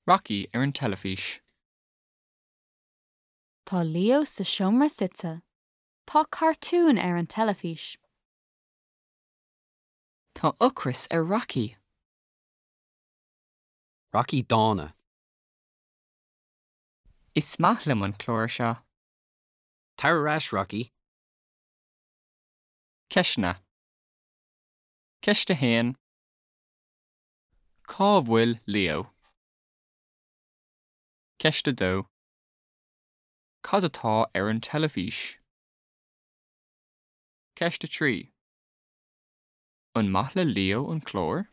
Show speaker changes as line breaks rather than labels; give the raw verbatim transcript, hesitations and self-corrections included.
Rocky ar an teilifís.
Tá Leo sa seomra suite. Tá cartún ar an teilifís.
Tá ocras ar Rocky.
Rocky dána.
Is maith liom an clár seo.
Tar ar ais Rocky.
Ceisteanna. Ceist a haon. Cá bhfuil Leo? Ceist a dó. Cad atá ar an teilifís? Ceist a trí. An maith le Leo an clár?